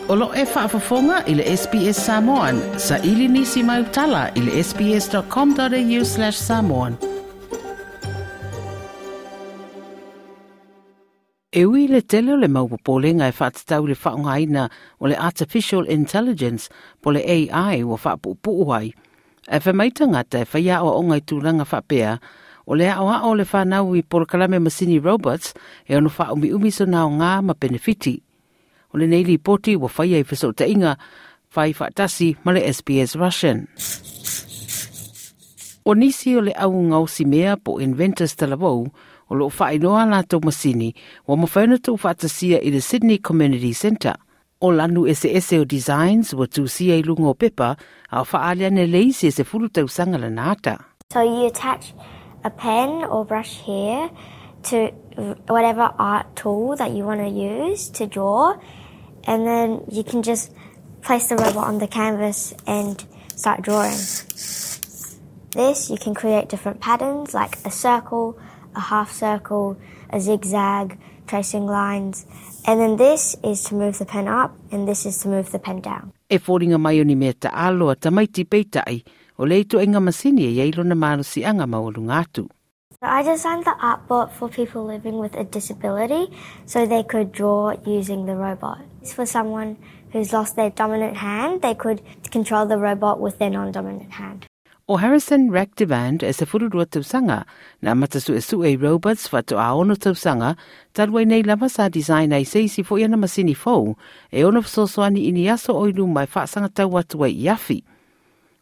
O lo e faafofoga i le SBS Samoan. Saili nisi mai utala i le sbs.com.au/samoan. E ui le tele o le mau popolenga e faatatau le faaaogaina o le Artificial Intelligence po le AI ua faapuupuu ai. Ae fai mai tagata e faia aoaoga i tulaga faapea, o le aoao o le fanau i polokalame masini robots e ono faaumiumi sona aoga ma penefiti. O lenei lipoti ua faia i fesootaiga fai faatasi ma le SBS Russian. O nisi o le au gaosi mea po inventors talavou o loo faailoa latou masini ua mafai ona tuufaatasia i le Sydney Community Centre. O lanu eseese o designs ua tusia i luga o pepa a o faaali ane le isi e 10 tausaga lana ata. So you attach a pen or brush here to whatever art tool that you want to use to draw, and then you can just place the robot on the canvas and start drawing. This, you can create different patterns like a circle, a half circle, a zigzag, tracing lines, and then this is to move the pen up and this is to move the pen down. E foliga mai o ni mea taalo a tamaiti peitai, o le ituaiga masini e iai lona malosiaga maualuga atu. I designed the art bot for people living with a disability so they could draw using the robot. It's for someone who's lost their dominant hand, they could control the robot with their non-dominant hand. O Harrison Ractivand e 12 tausaga na amata suesue i robots faatoa 6 tausaga, talu ai nei lava sa design ai se isi foi ana masini fou e ono fesoasoani i ni aso o i luma e faasagatau atu ai i afi.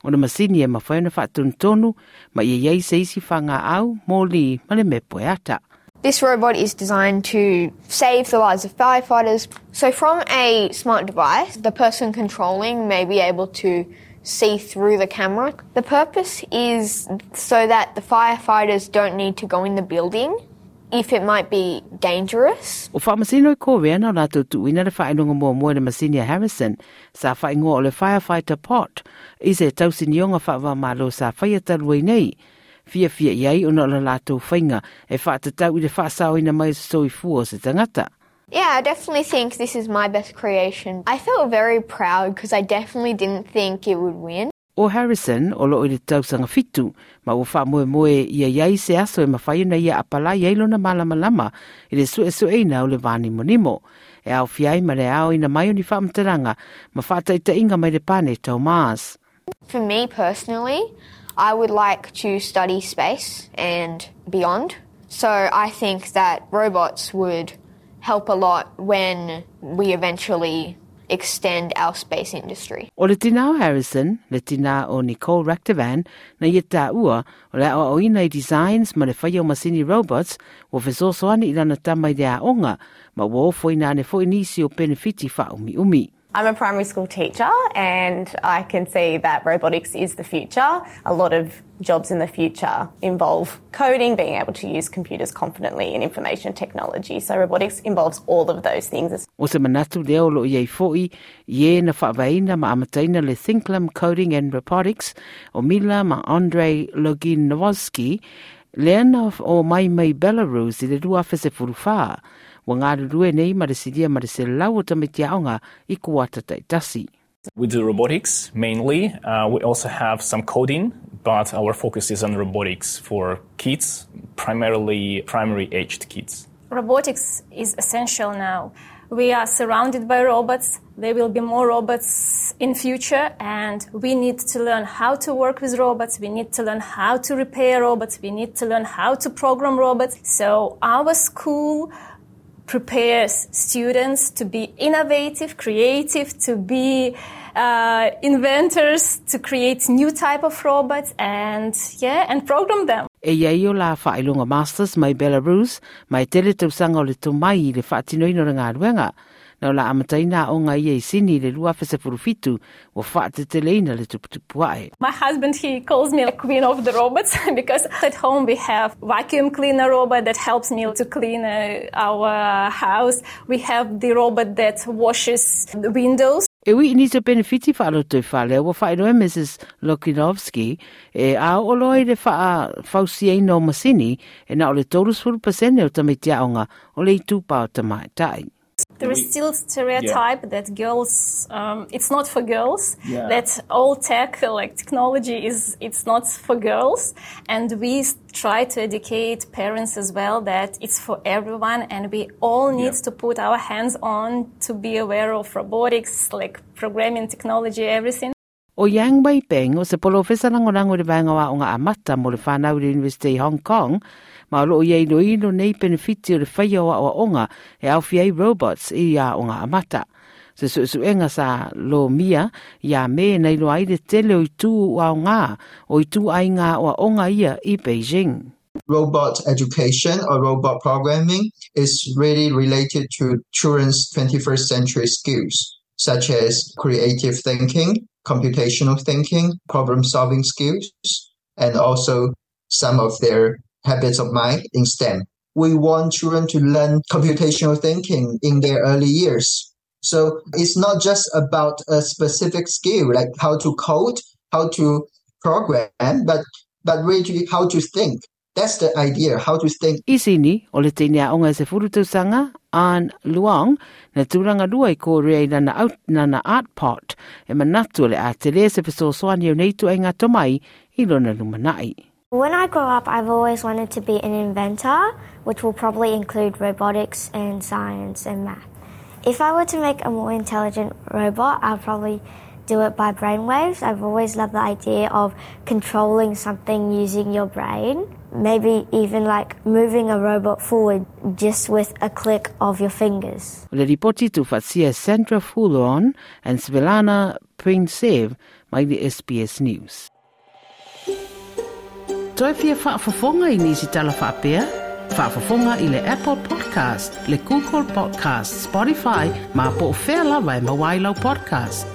O le masini e mafai ona faatonutonu ma ia iai se isi fagaau, moli ma le mepo e ata. This robot is designed to save the lives of firefighters. So from a smart device, the person controlling may be able to see through the camera. The purpose is so that the firefighters don't need to go in the building if it might be dangerous. O faamasino i Korea na o latou tuuina le faailoga muamua i le masini a Harrison sa faaigoa o le Firefighter Pot i se tausinioga faava-o-Malo sa faia talu ai nei. Fiafia i ai ona o le latou faiga e faatatau i le faasaoina mai o se soifua o se tagata. Yeah, I definitely think this is my best creation. I felt very proud because I definitely didn't think it would win. O Harrison o loo i le tausaga 7, ma ua faamoemoe ia iai se aso e mafai ona ia apalai ai lona malamalama i le suesueina o le vanimonimo. E aofia ai ma le aoina mai o ni faamatalaga ma faataitaiga mai le paneta o Mars. For me personally, I would like to study space and beyond. So I think that robots would help a lot when we eventually extend our space industry. O le tina o Harrison, le tina o Nicole Ractivan, na ia taua, o le aoaoina i designs ma le faia o masini robots, ua fesoasoani i lana tama i le aoga, ma ua ofoina ane foi nisi o penefiti faaumiumi. I'm a primary school teacher and I can see that robotics is the future. A lot of jobs in the future involve coding, being able to use computers confidently and information technology. So robotics involves all of those things. O se manatu lea o loo iai foi i e na faavaeina ma amataina le Thinklam Coding and Robotics o Mila ma Andrei Loginovsky, lea na omai mai Belarus i le 2014. Ua galulue nei ma le silia ma le 100 o tamaiti aoga i kuata taitasi. We do robotics mainly. We also have some coding, but our focus is on robotics for kids, primarily primary-aged kids. Robotics is essential now. We are surrounded by robots. There will be more robots in future, and we need to learn how to work with robots. We need to learn how to repair robots. We need to learn how to program robots. So our school prepares students to be innovative, creative, to be inventors, to create new type of robots and program them. E iai o la faailoga Masters mai Belarus, ma e tele tausaga o le tomai i le faatinoina o le galuega. Na o la amataina aoga ia i Sini i le 2017, ua faateteleina le tuputupu ae. My husband, he calls me the queen of the robots because at home we have vacuum cleaner robot that helps me to clean our house. We have the robot that washes the windows. E ui i nisi o penefiti faalotoifale, ua faailoa e Mrs Lokinovsky e a oo loa i le faafausiaina o masini e na o le 30% o tamaiti aoga o le itupa o tamaitai. There is still stereotype that girls, it's not for girls, that all tech, like technology is, it's not for girls. And we try to educate parents as well that it's for everyone and we all need to put our hands on to be aware of robotics, like programming, technology, everything. ʻO Yang Wei Peng, o se polofesa lagolago i le Vaega o Aoga Amata mo le Whanau i le University i Hong Kong, ma o loo ia iloilo nei penefiti o le faia o aoaoga e aofia ai robots i aoga amata. Se suesuega sa lomia ia Me na iloa ai le tele o itu aoga o ituaiga aoaoga ia i Beijing. Robot education or robot programming is really related to children's 21st century skills, such as creative thinking, computational thinking, problem-solving skills, and also some of their habits of mind in STEM. We want children to learn computational thinking in their early years. So it's not just about a specific skill, like how to code, how to program, but really how to think. That's the idea, how to think. I Sini, o le teine aoga e 10 tausaga, Ann Luong, na tulaga lua i Korea i lana out, lana art pot, e manatu o le a tele se fesoasoani o nei ituaiga tomai i lona lumanai. When I grow up, I've always wanted to be an inventor, which will probably include robotics and science and math. If I were to make a more intelligent robot, I'd probably do it by brainwaves. I've always loved the idea of controlling something using your brain. Maybe even like moving a robot forward just with a click of your fingers. O le lipoti tuufaatasia e Sandra Fulon and Svetlana Princev mai le SBS News. Toe fia faafofoga i nisi tala faapea? Faafofoga i le Apple Podcast, le Google Podcast, Spotify, ma po o fea lava e maua ai lau podcast.